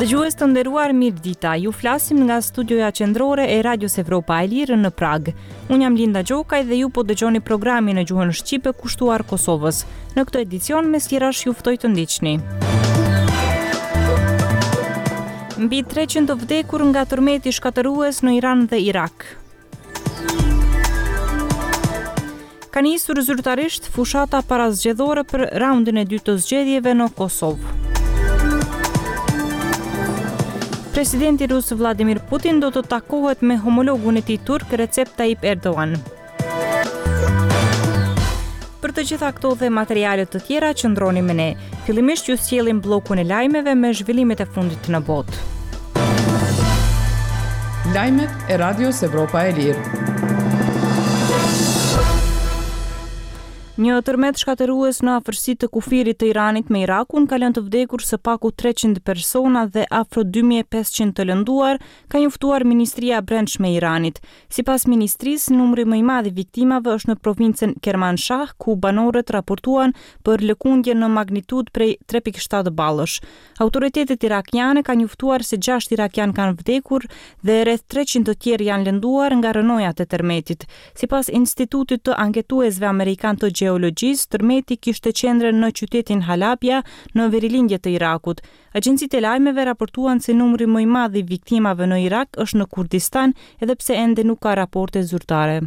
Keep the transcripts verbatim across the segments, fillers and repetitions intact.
Dëgjues të nderuar, mirëdita. Ju flasim nga studioja qendrore e Radios Evropa e Lirë në Pragë. Unë jam Linda Gjokaj dhe ju po dëgjoni programin në gjuhën shqipe kushtuar Kosovës. Në këtë edicion mes tjerash ju ftoj të ndiqni. Mbi treqind të vdekur nga tërmeti shkatërrues në Iran dhe Irak. Ka nisur zyrtarisht fushata parazgjedhore për raundin e dytë të zgjedhjeve në Kosovë. Presidenti rus Vladimir Putin do të takohet me homologun e tij turk Recep Tayyip Erdogan. Për të gjitha këto dhe materiale të tjera qëndroni me ne. Fillimisht ju sjellim bllokun e lajmeve me zhvillimet e fundit në botë. Lajmet e Radios Evropa e Lirë. Një tërmet shkatërrues në afërsi të kufirit të Iranit me Irakun ka lënë të vdekur së paku treqind persona dhe afro dy mijë e pesëqind të lënduar, ka njoftuar Ministria e Brendshme e Iranit. Sipas ministrisë, numri më i madh i viktimave është në provincën Kermanshah, ku banorët raportuan për lëkundje në magnitudë prej tre pikë shtatë ballësh. Autoritetet irakiane kanë njoftuar se gjashtë irakian kanë vdekur dhe rreth treqind të tjerë janë lënduar nga rrënojat e tërmetit. Sipas Institutit të Anketuesve Amerikan të Gjeologjisë, tërmeti kishte qendrën në qytetin Halabja, në verilindje të Irakut. Agjencitë e lajmeve raportuan se numri më i madh i viktimave në Irak është në Kurdistan, edhe pse ende nuk ka raporte zyrtare.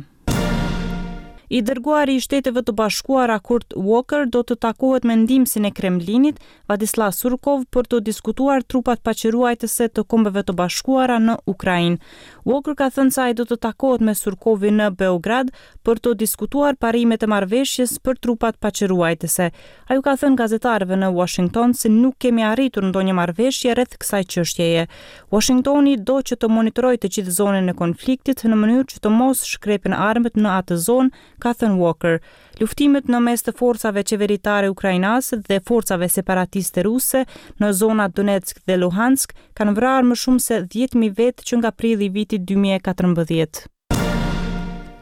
I dërguari i Shteteve të Bashkuara Kurt Volker do të takohet me ndihmësin e Kremlinit, Vladislav Surkov, për të diskutuar trupat paqeruajtëse të Kombeve të Bashkuara në Ukrainë. Volker ka thënë se ai do të takohet me Surkovin në Beograd për të diskutuar parimet e marrëveshjes për trupat paqeruajtëse. Ai u ka thënë gazetarëve në Washington se nuk kemi arritur ndonjë marrëveshje rreth kësaj çështjeje. Washingtoni do që të monitorojë të gjithë zonën e konfliktit në mënyrë që të mos shkrepen armët në atë zonë, ka thënë Walker. Luftimet në mes të forcave qeveritare ukrainase dhe forcave separatiste ruse në zonat Donetsk dhe Luhansk kanë vrarë më shumë se dhjetë mijë vetë që nga prilli i vitit dy mijë e katërmbëdhjetë.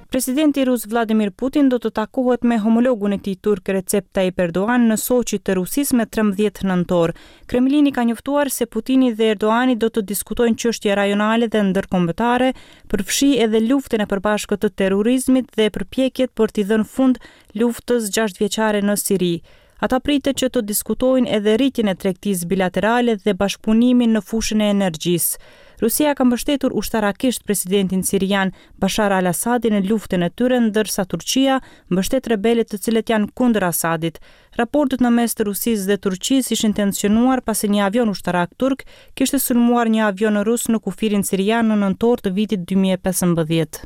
Presidenti rus Vladimir Putin do të takohet me homologun e tij turk Recep Tayyip Erdogan në Sochi të Rusisë me trembëdhjetë nëntor. Kremlini ka njoftuar se Putini dhe Erdogani do të diskutojnë çështje rajonale dhe ndërkombëtare, përfshi edhe luftën e përbashkët të terrorizmit dhe përpjekjet për t'i dhënë fund luftës gjashtëvjeçare në Siri. Ata pritet që të diskutojnë edhe rritjen e tregtisë bilaterale dhe bashkëpunimin në fushën e energjisë. Rusia ka mbështetur ushtarakisht presidentin sirian Bashar al-Assadin në luftën e tyre, ndërsa Turqia mbështet rebelët të cilët janë kundër Assadit. Raportet në mes të Rusisë dhe Turqisë ishin tensionuar pasi një avion ushtarak turk kishte sulmuar një avion rus në kufirin sirian në nëntor të vitit dy mijë e pesëmbëdhjetë.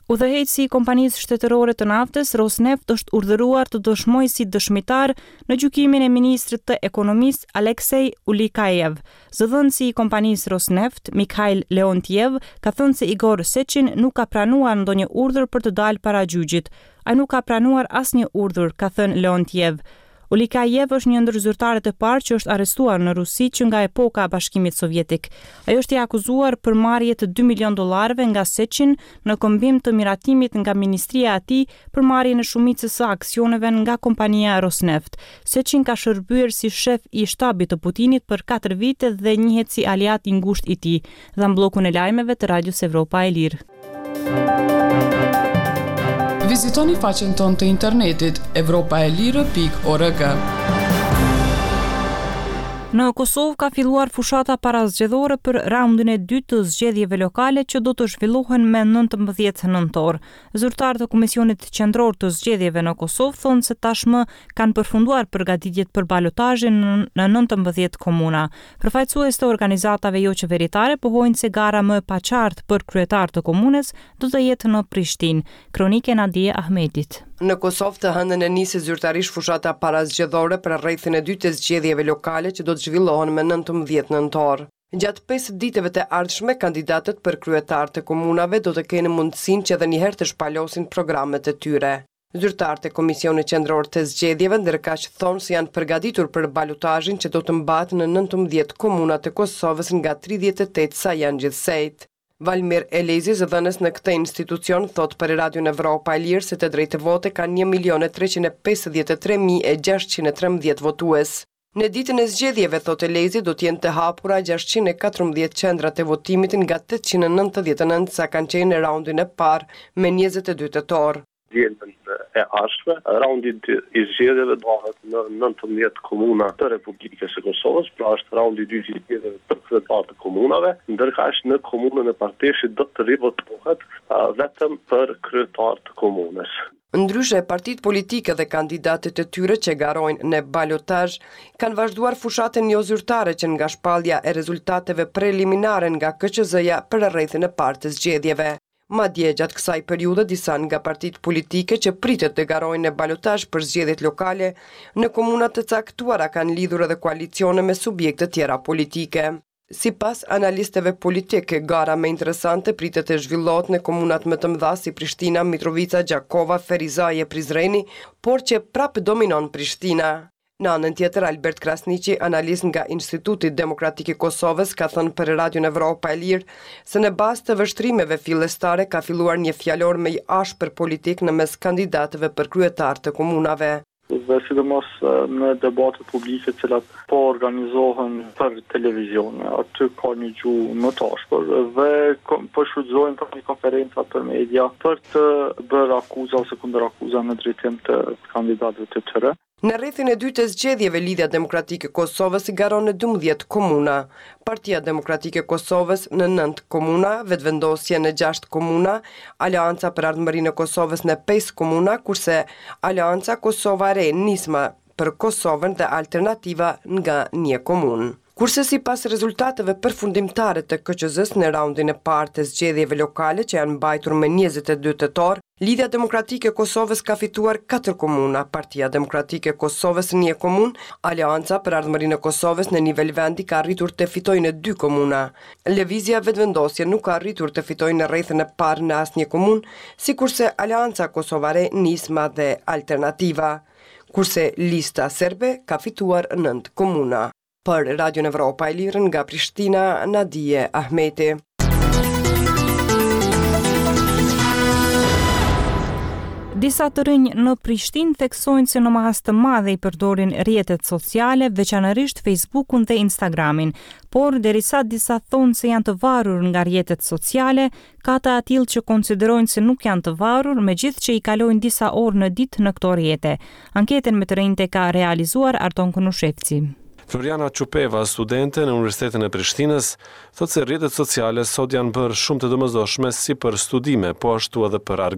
Udhëheqësi i kompanisë shtetërore të naftës Rosneft është urdhëruar të dëshmojë si dëshmitar në gjykimin e ministrit të ekonomisë Alexei Ulikaev. Zëdhënësi i kompanisë Rosneft, Mikhail Leontiev, ka thënë se Igor Sechin nuk ka pranuar ndonjë urdhër për të dalë para gjyqit. Ai nuk ka pranuar asnjë urdhër, ka thënë Leontiev. Ulikaev është një ndër zyrtarët e parë që është arrestuar në Rusi që nga epoka e Bashkimit Sovjetik. Ai është i akuzuar për marrje të dy milion dollarëve nga Sechin në këmbim të miratimit nga ministria e tij për marrjen e shumicës së aksioneve nga kompania Rosneft. Sechin ka shërbyer si shef i shtabit të Putinit për katër vite dhe njihet si aleat i ngushtë i tij. Dhe në bllokun e lajmeve të Radios Evropa e Lirë. Vizitoni faqen tonë të internetit evropa e lirë pikë org. Në Kosovë ka filluar fushata parazgjedhore për raundin e dytë të zgjedhjeve lokale që do të zhvillohen me nëntëmbëdhjetë nëntor. Zyrtarët e Komisionit Qendror të Zgjedhjeve në Kosovë thonë se tashmë kanë përfunduar përgatitjet për balotazhin në nëntëmbëdhjetë komuna. Përfaqësues të organizatave jo qeveritare pohojnë se gara më e paqartë për kryetar të komunës do të jetë në Prishtinë. Kronike Nadie Ahmetit. Në Kosovë të hënën e nisi zyrtarisht fushata parazgjedhore për rrethin e dytë të zgjedhjeve lokale që do të zhvillohen me nëntëmbëdhjetë nëntor. Gjatë pesë ditëve të ardhshme, kandidatët për kryetar të komunave do të kenë mundësinë që edhe një herë të shpalosin programet e tyre. Zyrtarët e Komisionit Qendror të Zgjedhjeve ndërkaq thonë se janë përgatitur për balotazhin që do të mbahet në nëntëmbëdhjetë komuna të Kosovës nga tridhjetë e tetë sa janë gjithsejt. Valmir Elezi, zëdhënës në këtë institucion, thotë për Radion Evropa e Lirë se të drejtë vote kanë një milion e treqind e pesëdhjetë e tre mijë e gjashtëqind e trembëdhjetë votues. Në ditën e zgjedhjeve, thotë Elezi, do të jenë të hapura gjashtëqind e katërmbëdhjetë qendrat e votimit nga tetëqind e nëntëdhjetë e nëntë sa kanë qenë në raundin e parë me njëzet e dy tetor. Dielën e ardhshme, raundi i dytë i zgjedhjeve mbahet në nëntëmbëdhjetë komuna të Republikës së Kosovës, pra është raundi i dytë i zgjedhjeve për kryetarë të komunave, ndërkaq në komunën e Parteshit do të rivotohet vetëm për kryetar të komunës. Ndryshe, partitë politike dhe kandidatët e tyre që garojnë në balotazh kanë vazhduar fushatën jozyrtare që nga shpallja e rezultateve preliminare nga K Q Z-ja për rrethin e parë të zgjedhjeve. Madje, gjatë kësaj periudhe, disa nga partitë politike që pritet të garojnë në balotazh për zgjedhjet lokale në komuna të caktuara kanë lidhur edhe koalicione me subjekte tjera politike. Sipas analistëve politikë, gara më interesante pritet të zhvillohet në komunat më të mëdha si Prishtina, Mitrovica, Gjakova, Ferizaj e Prizreni, por që prapë dominon Prishtina. Në anën tjetër, Albert Krasniqi, analist nga Instituti Demokratik i Kosovës, ka thënë për Radion Evropa e Lirë se në bazë të vështrimeve fillestare ka filluar një fjalor më i ashpër politik në mes kandidatëve për kryetar të komunave. Dhe sidomos në debatet publike të cilat po organizohen për televizione, aty ka një gjuhë më të ashpër dhe po shfrytëzojnë për një konferenca për media për të bërë akuza ose kundër akuza në drejtim të kandidatëve të tyre. Në rrethin e dytë të zgjedhjeve, Lidhja Demokratike e Kosovës garon në dymbëdhjetë komuna, Partia Demokratike e Kosovës në nëntë komuna, Vetëvendosje në gjashtë komuna, Aleanca për Ardhmërinë e Kosovës në pesë komuna, kurse Aleanca Kosova e Re, Nisma për Kosovën dhe Alternativa nga një komunë. Kurse sipas rezultateve përfundimtare të K Q Z-së në raundin e parë të zgjedhjeve lokale që janë mbajtur më njëzet e dy tetor, Lidhja Demokratike e Kosovës ka fituar katër komuna, Partia Demokratike e Kosovës një komunë, Aleanca për Ardhmërinë e Kosovës në nivel vendi ka arritur të fitojë në dy komuna. Lëvizja Vetëvendosje nuk ka arritur të fitojë në rrethin e parë në asnjë komunë, sikurse Aleanca Kosovare, Nisma dhe Alternativa. Kurse Lista Serbe ka fituar nëntë komuna. Për Radion Evropa e Lirë nga Prishtina, Nadie Ahmeti. Disa të rinj në Prishtinë theksojnë se në masë të madhe i përdorin rrjetet sociale, veçanërisht Facebookun dhe Instagramin, por derisa disa thonë se janë të varur nga rrjetet sociale, ka të atillë që konsiderojnë se nuk janë të varur, megjithë që i kalojnë disa orë në ditë në këto rrjete. Anketën me të rinjtë ka realizuar Arton Konushevci. Floriana Çupeva, studente në Universitetin e Prishtinës, thotë se rrjetet sociale sot janë bërë shumë të domosdoshme si për studime, po ashtu edhe për argëtim.